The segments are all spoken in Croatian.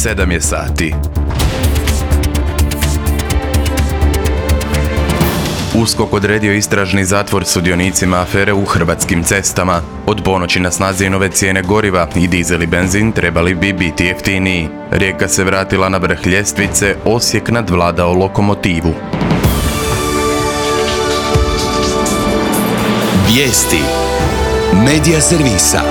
7 je sati. USKOK odredio istražni zatvor sudionicima afere u Hrvatskim cestama. Od ponoći na snazi je nove cijene goriva i dizel i benzin trebali bi biti jeftiniji. Rijeka se vratila na vrh ljestvice, Osijek nadvladao Lokomotivu. Vijesti Medija servisa.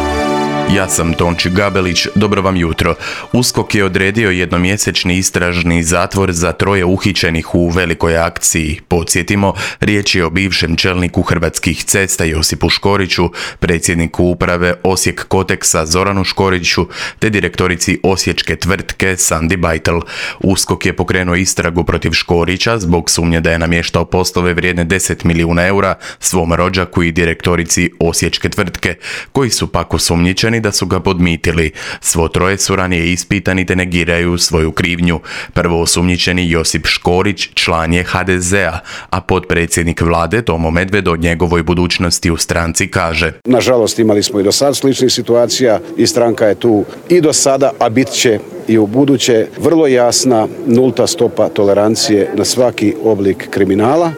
Ja sam Tonči Gabelić, dobro vam jutro. USKOK je odredio jednomjesečni istražni zatvor za 3 uhićenih u velikoj akciji. Podsjetimo, riječ je o bivšem čelniku Hrvatskih cesta Josipu Škoriću, predsjedniku uprave Osijek Koteksa Zoranu Škoriću, te direktorici osječke tvrtke Sandi Bajtel. USKOK je pokrenuo istragu protiv Škorića zbog sumnje da je namještao poslove vrijedne 10 milijuna eura svom rođaku i direktorici osječke tvrtke, koji su pak osumnjičeni da su ga podmitili. Svo 3 su ranije ispitani te negiraju svoju krivnju. Prvo osumnjičeni Josip Škorić član je HDZ-a, a potpredsjednik vlade Tomo Medved o njegovoj budućnosti u stranci kaže: Nažalost, imali smo i do sad sličnih situacija i stranka je tu i do sada, a bit će i u buduće vrlo jasna nulta stopa tolerancije na svaki oblik kriminala.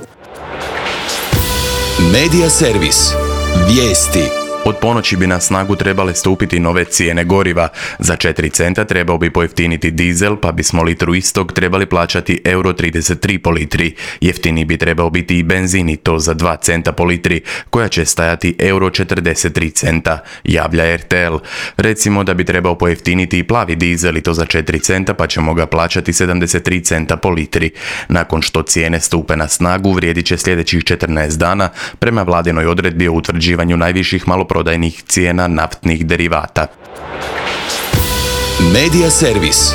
Medija servis. Vijesti. Od ponoći bi na snagu trebale stupiti nove cijene goriva. Za 4 centa trebao bi pojeftiniti dizel, pa bismo litru istog trebali plaćati €33 po litri. Jeftiniji bi trebao biti i benzin, i to za 2 centa po litri, koja će stajati €43 centa, javlja RTL. Recimo da bi trebao pojeftiniti i plavi dizel, i to za 4 centa, pa ćemo ga plaćati 73 centa po litri. Nakon što cijene stupe na snagu, vrijedit će sljedećih 14 dana prema vladinoj odredbi o utvrđivanju najviših maloprodajnih cijena naftnih derivata. Medija servis.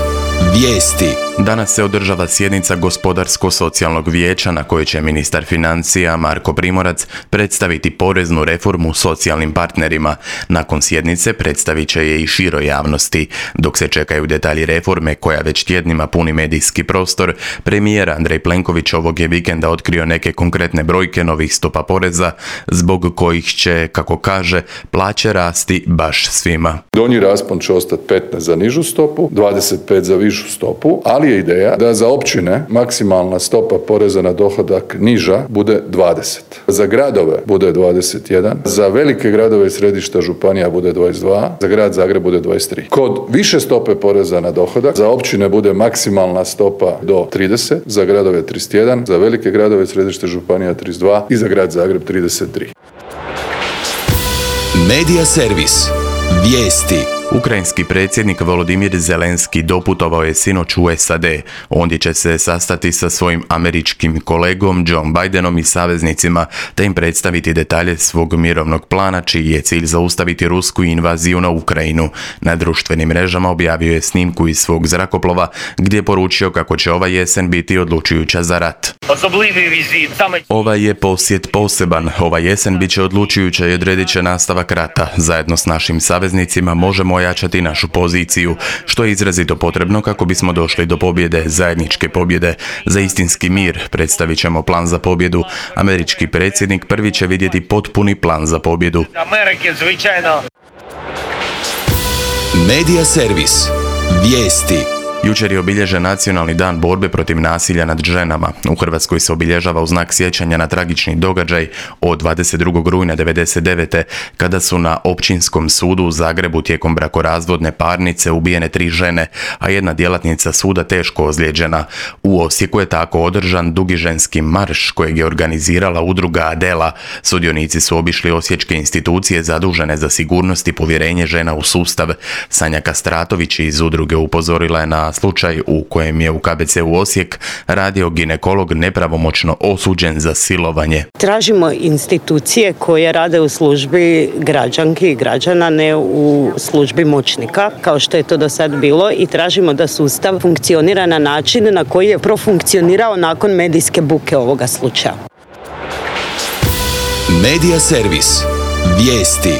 Vijesti. Danas se održava sjednica Gospodarsko-socijalnog vijeća na kojoj će ministar financija Marko Primorac predstaviti poreznu reformu socijalnim partnerima. Nakon sjednice predstavit će je i široj javnosti. Dok se čekaju detalji reforme koja već tjednima puni medijski prostor, premijer Andrej Plenković ovog je vikenda otkrio neke konkretne brojke novih stopa poreza, zbog kojih će, kako kaže, plaće rasti baš svima. Donji raspon će ostati 15 za nižu stopu, 25 za višu stopu, ali je ideja da za općine maksimalna stopa poreza na dohodak niža bude 20. Za gradove bude 21, za velike gradove i središta županija bude 22, za grad Zagreb bude 23. Kod više stope poreza na dohodak za općine bude maksimalna stopa do 30, za gradove 31, za velike gradove i središta županija 32 i za grad Zagreb 33. Medija servis. Vijesti. Ukrajinski predsjednik Volodimir Zelenski doputovao je sinoć u SAD. Ondje će se sastati sa svojim američkim kolegom Joe Bidenom i saveznicima, te im predstaviti detalje svog mirovnog plana, čiji je cilj zaustaviti rusku invaziju na Ukrajinu. Na društvenim mrežama objavio je snimku iz svog zrakoplova, gdje je poručio kako će ova jesen biti odlučujuća za rat. Ovaj je posjet poseban. Ova jesen bit će odlučujuća i odredit će nastavak rata. Zajedno s našim saveznicima možemo ojačati našu poziciju, što je izrazito potrebno kako bismo došli do pobjede, zajedničke pobjede. Za istinski mir predstavit ćemo plan za pobjedu. Američki predsjednik prvi će vidjeti potpuni plan za pobjedu. Medija servis. Vijesti. Jučer je obilježen Nacionalni dan borbe protiv nasilja nad ženama. U Hrvatskoj se obilježava u znak sjećanja na tragični događaj od 22. rujna 1999. kada su na Općinskom sudu u Zagrebu tijekom brakorazvodne parnice ubijene 3 žene, a jedna djelatnica suda teško ozlijeđena. U Osijeku je tako održan dugi ženski marš kojeg je organizirala udruga Adela. Sudionici su obišli osječke institucije zadužene za sigurnost i povjerenje žena u sustav. Sanja Kastratović iz udruge upozorila je na slučaj u kojem je u KBC-u Osijek radio ginekolog nepravomoćno osuđen za silovanje. Tražimo institucije koje rade u službi građanki i građana, ne u službi moćnika, kao što je to do sad bilo, i tražimo da sustav funkcionira na način na koji je profunkcionirao nakon medijske buke ovoga slučaja. Medija servis. Vijesti.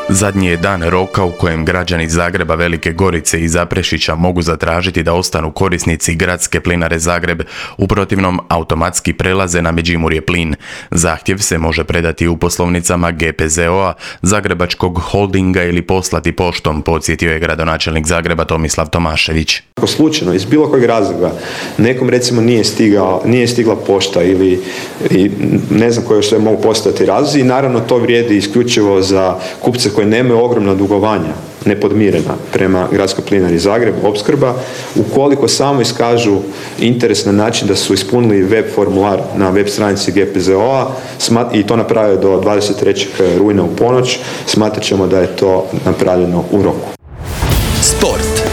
Zadnji je dan roka u kojem građani Zagreba, Velike Gorice i Zaprešića mogu zatražiti da ostanu korisnici Gradske plinare Zagreb, u protivnom automatski prelaze na Međimurje plin. Zahtjev se može predati u poslovnicama GPZO-a, Zagrebačkog holdinga ili poslati poštom, podsjetio je gradonačelnik Zagreba Tomislav Tomašević. Ako slučajno, iz bilo kojeg razloga, nekom recimo nije stigla pošta ili ne znam koje sve mogu postojati razlozi, i naravno to vrijedi isključivo za kupce koji nemaju ogromna dugovanja nepodmirena prema Gradskoj plinari Zagreb, opskrba, ukoliko samo iskažu interes na način da su ispunili web formular na web stranici GPZO-a i to naprave do 23. rujna u ponoć, smatrat ćemo da je to napravljeno u roku. Sport.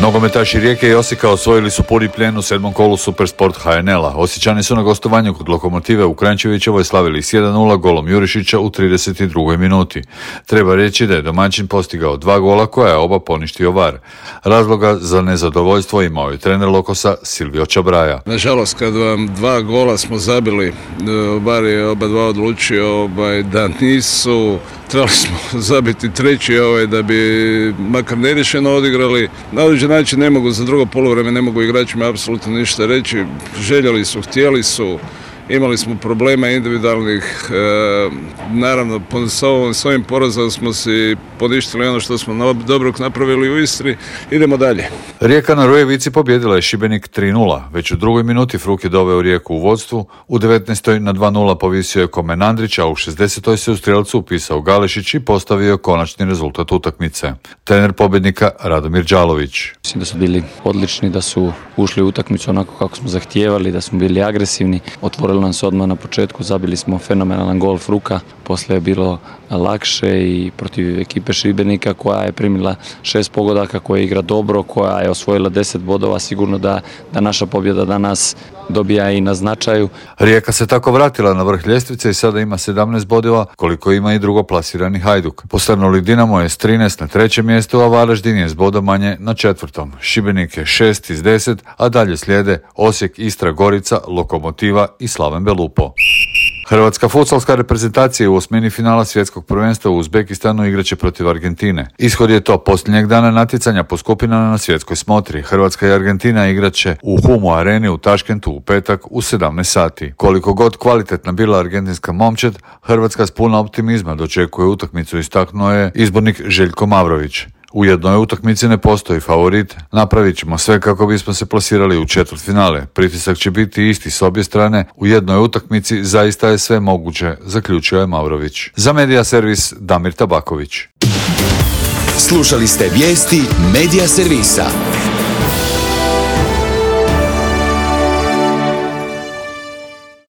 Nogometaši Rijeke i Osijeka osvojili su puni plijen u 7. kolu Supersport HNL-a. Osječani su na gostovanju kod Lokomotive u Kranjčevićevoj slavili s 1-0 golom Jurišića u 32. minuti. Treba reći da je domaćin postigao 2 gola koja je oba poništio VAR. Razloga za nezadovoljstvo imao je trener Lokosa Silvio Čabraja. Nažalost, kad vam 2 gola smo zabili, VAR je oba dva odlučio da nisu. Trebali smo zabiti treći da bi makar neriješeno odigrali. Na određen način ne mogu za drugo poluvreme, ne mogu igračima apsolutno ništa reći. Željeli su, htjeli su, imali smo problema individualnih. Naravno, s ovim porazom smo si poništili ono što smo dobrog napravili u Istri. Idemo dalje. Rijeka na Rujevici pobjedila je Šibenik 3-0. Već u drugoj minuti Fruk je doveo Rijeku u vodstvu. U 19. na 2-0 povisio je Komen Andrić, a u 60. se u strijelcu upisao Galešić i postavio konačni rezultat utakmice. Trener pobjednika Radomir Đalović. Mislim da su bili odlični, da su ušli u utakmicu onako kako smo zahtijevali, da smo bili agresivni. Otvorili nam se odmah na početku, zabili smo fenomenalan gol Fruka. Poslije je bilo lakše i protiv ekipe Šibenika koja je primila 6 pogodaka, koja igra dobro, koja je osvojila 10 bodova. Sigurno da naša pobjeda danas dobija i na značaju. Rijeka se tako vratila na vrh ljestvice i sada ima 17 bodova, koliko ima i drugoplasirani Hajduk. Posrnuli Dinamo je s 13 na 3. mjestu, a Varaždin je s bodom manje na 4. Šibenik je 6 iz 10, a dalje slijede Osijek, Istra, Gorica, Lokomotiva i Slaven Belupo. Hrvatska futsalska reprezentacija u osmini finala svjetskog prvenstva u Uzbekistanu igraće protiv Argentine. Ishod je to posljednjeg dana natjecanja po skupinama na svjetskoj smotri. Hrvatska i Argentina igraće u Humu areni u Taškentu u petak u 17 sati. Koliko god kvalitetna bila argentinska momčad, Hrvatska s puno optimizma dočekuje utakmicu, istaknuo je izbornik Željko Mavrović. U jednoj utakmici ne postoji favorit, napravit ćemo sve kako bismo se plasirali u četvrtfinale. Pritisak će biti isti s obje strane, u jednoj utakmici zaista je sve moguće, zaključio je Mavrović. Za Medija servis Damir Tabaković. Slušali ste vijesti Medija servisa.